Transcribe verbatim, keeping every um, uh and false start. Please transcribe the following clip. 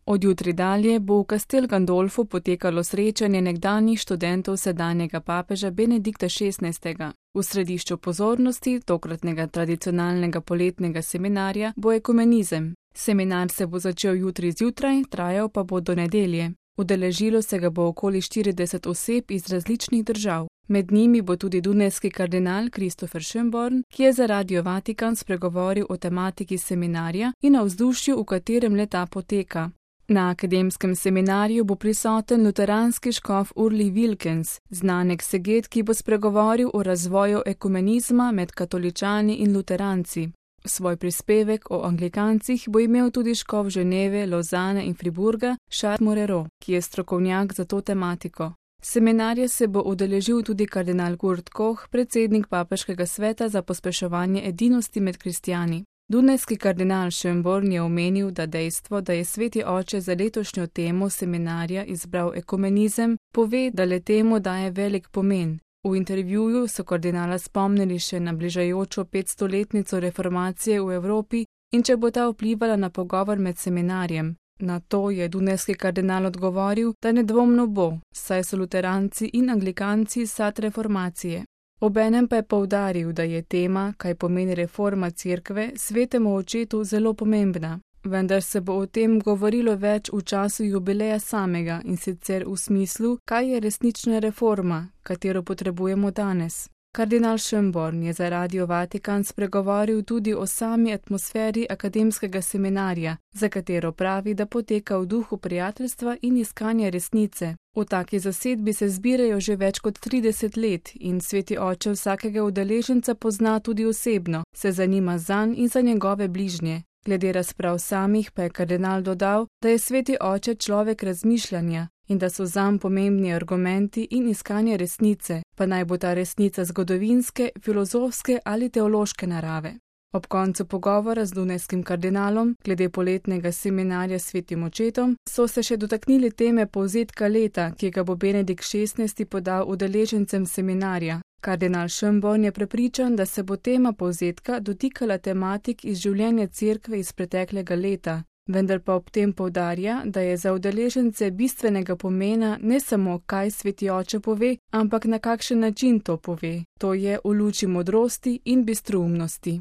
Od jutri dalje bo v Castel Gandolfu potekalo srečanje nekdanjih študentov sedanjega papeža Benedikta šestnajstega. V središču pozornosti tokratnega tradicionalnega poletnega seminarja bo ekumenizem. Seminar se bo začel jutri zjutraj, trajal pa bo do nedelje. Udeležilo se ga bo okoli štirideset oseb iz različnih držav. Med njimi bo tudi dunajski kardinal Christopher Schönborn, ki je za Radio Vatikan spregovoril o tematiki seminarja in o vzdušju, v katerem le-ta poteka. Na akademskem seminarju bo prisoten luteranski škof Urli Wilkens, znan ekseget, ki bo spregovoril o razvoju ekumenizma med katoličani in luteranci. Svoj prispevek o anglikancih bo imel tudi škof Ženeve, Lozane in Friburga Charles Morero, ki je strokovnjak za to tematiko. Seminarja se bo udeležil tudi kardinal Kurt Koch, predsednik Papeškega sveta za pospeševanje edinosti med kristjani. Dunajski kardinal Schönborn je omenil, da dejstvo, da je sveti oče za letošnjo temo seminarja izbral ekumenizem, pove, da le temu daje velik pomen. V intervjuju so kardinala spomnili še na bližajočo petstoletnico reformacije v Evropi in če bo ta vplivala na pogovor med seminarjem. Na to je dunajski kardinal odgovoril, da nedvomno bo, saj so luteranci in anglikanci sad reformacije. Obenem pa je poudaril, da je tema, kaj pomeni reforma cerkve, svetemu očetu zelo pomembna, vendar se bo o tem govorilo več v času jubileja samega in sicer v smislu, kaj je resnična reforma, katero potrebujemo danes. Kardinal Schönborn je za Radio Vatikan spregovoril tudi o sami atmosferi akademskega seminarja, za katero pravi, da poteka v duhu prijateljstva in iskanja resnice. V taki zasedbi se zbirajo že več kot trideset let in sveti oče vsakega udeleženca pozna tudi osebno, se zanima zanj in za njegove bližnje. Glede razprav samih pa je kardinal dodal, da je sveti oče človek razmišljanja in da so zanj pomembni argumenti in iskanje resnice, pa naj bo ta resnica zgodovinske, filozofske ali teološke narave. Ob koncu pogovora z dunajskim kardinalom glede poletnega seminarja s svetim očetom so se še dotaknili teme povzetka leta, ki ga bo Benedikt šestnajsti podal udeležencem seminarja. Kardinal Schönborn je prepričan, da se bo tema povzetka dotikala tematik iz življenja cerkve iz preteklega leta, vendar pa ob tem poudarja, da je za udeležence bistvenega pomena ne samo, kaj sveti oče pove, ampak na kakšen način to pove, to je v luči modrosti in bistroumnosti.